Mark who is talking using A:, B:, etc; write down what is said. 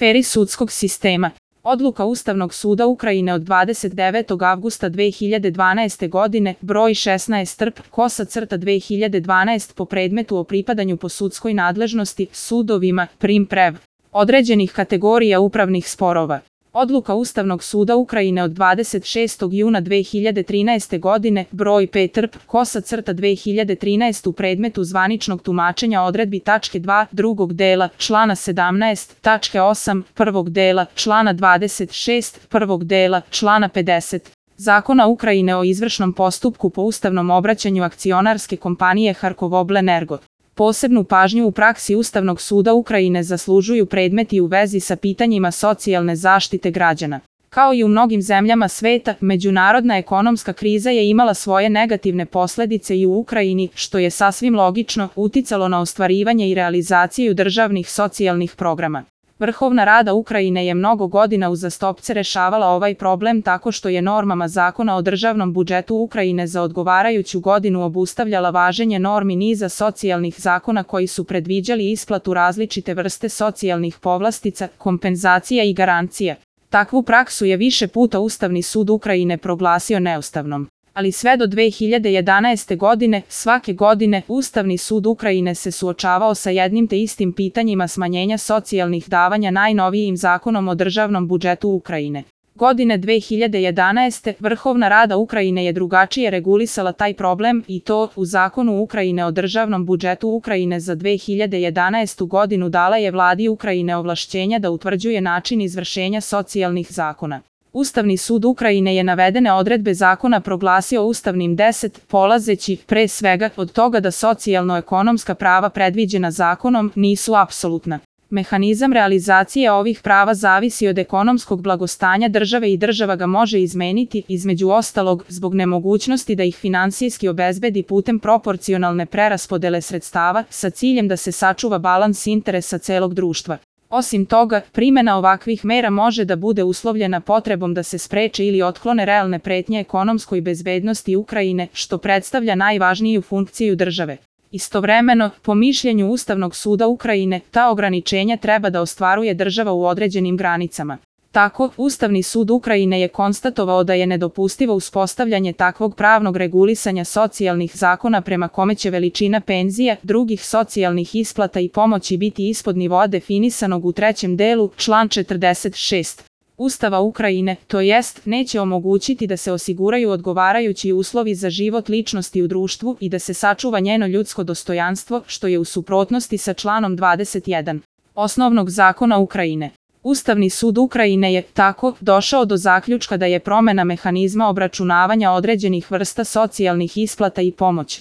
A: aferi sudskog sistema. Odluka Ustavnog suda Ukrajine od 29. avgusta 2012. godine, broj 16-2012 po predmetu o pripadanju po sudskoj nadležnosti sudovima prim-prev određenih kategorija upravnih sporova. Odluka Ustavnog suda Ukrajine od 26. juna 2013. godine, broj 5-2013 u predmetu zvaničnog tumačenja odredbi tačke 2 drugog dela člana 17, tačke 8 prvog dela člana 26 prvog dela člana 50 Zakona Ukrajine o izvršnom postupku po ustavnom obraćanju akcionarske kompanije Harkovoblenergo. Posebnu pažnju u praksi Ustavnog suda Ukrajine zaslužuju predmeti u vezi sa pitanjima socijalne zaštite građana. Kao i u mnogim zemljama sveta, međunarodna ekonomska kriza je imala svoje negativne posledice i u Ukrajini, što je sasvim logično uticalo na ostvarivanje i realizaciju državnih socijalnih programa. Vrhovna Rada Ukrajine je mnogo godina uzastopce rešavala ovaj problem tako što je normama Zakona o državnom budžetu Ukrajine za odgovarajuću godinu obustavljala važenje normi niza socijalnih zakona koji su predviđali isplatu različite vrste socijalnih povlastica, kompenzacija i garancija. Takvu praksu je više puta Ustavni sud Ukrajine proglasio neustavnom. Ali sve do 2011. godine, svake godine, Ustavni sud Ukrajine se suočavao sa jednim te istim pitanjima smanjenja socijalnih davanja najnovijim Zakonom o državnom budžetu Ukrajine. Godine 2011. Vrhovna Rada Ukrajine je drugačije regulisala taj problem i to u Zakonu Ukrajine o državnom budžetu Ukrajine za 2011. godinu dala je Vladi Ukrajine ovlašćenja da utvrđuje način izvršenja socijalnih zakona. Ustavni sud Ukrajine je navedene odredbe zakona proglasio ustavnim 10, polazeći, pre svega, od toga da socijalno-ekonomska prava predviđena zakonom nisu apsolutna. Mehanizam realizacije ovih prava zavisi od ekonomskog blagostanja države i država ga može izmeniti, između ostalog, zbog nemogućnosti da ih finansijski obezbedi putem proporcionalne preraspodele sredstava, sa ciljem da se sačuva balans interesa celog društva. Osim toga, primena ovakvih mera može da bude uslovljena potrebom da se spreče ili otklone realne pretnje ekonomskoj bezbednosti Ukrajine, što predstavlja najvažniju funkciju države. Istovremeno, po mišljenju Ustavnog suda Ukrajine, ta ograničenja treba da ostvaruje država u određenim granicama. Tako, Ustavni sud Ukrajine je konstatovao da je nedopustivo uspostavljanje takvog pravnog regulisanja socijalnih zakona prema kome će veličina penzija, drugih socijalnih isplata i pomoći biti ispod nivoa definisanog u trećem delu, član 46. Ustava Ukrajine, to jest, neće omogućiti da se osiguraju odgovarajući uslovi za život ličnosti u društvu i da se sačuva njeno ljudsko dostojanstvo, što je u suprotnosti sa članom 21. Osnovnog zakona Ukrajine. Ustavni sud Ukrajine je, tako, došao do zaključka da je promena mehanizma obračunavanja određenih vrsta socijalnih isplata i pomoć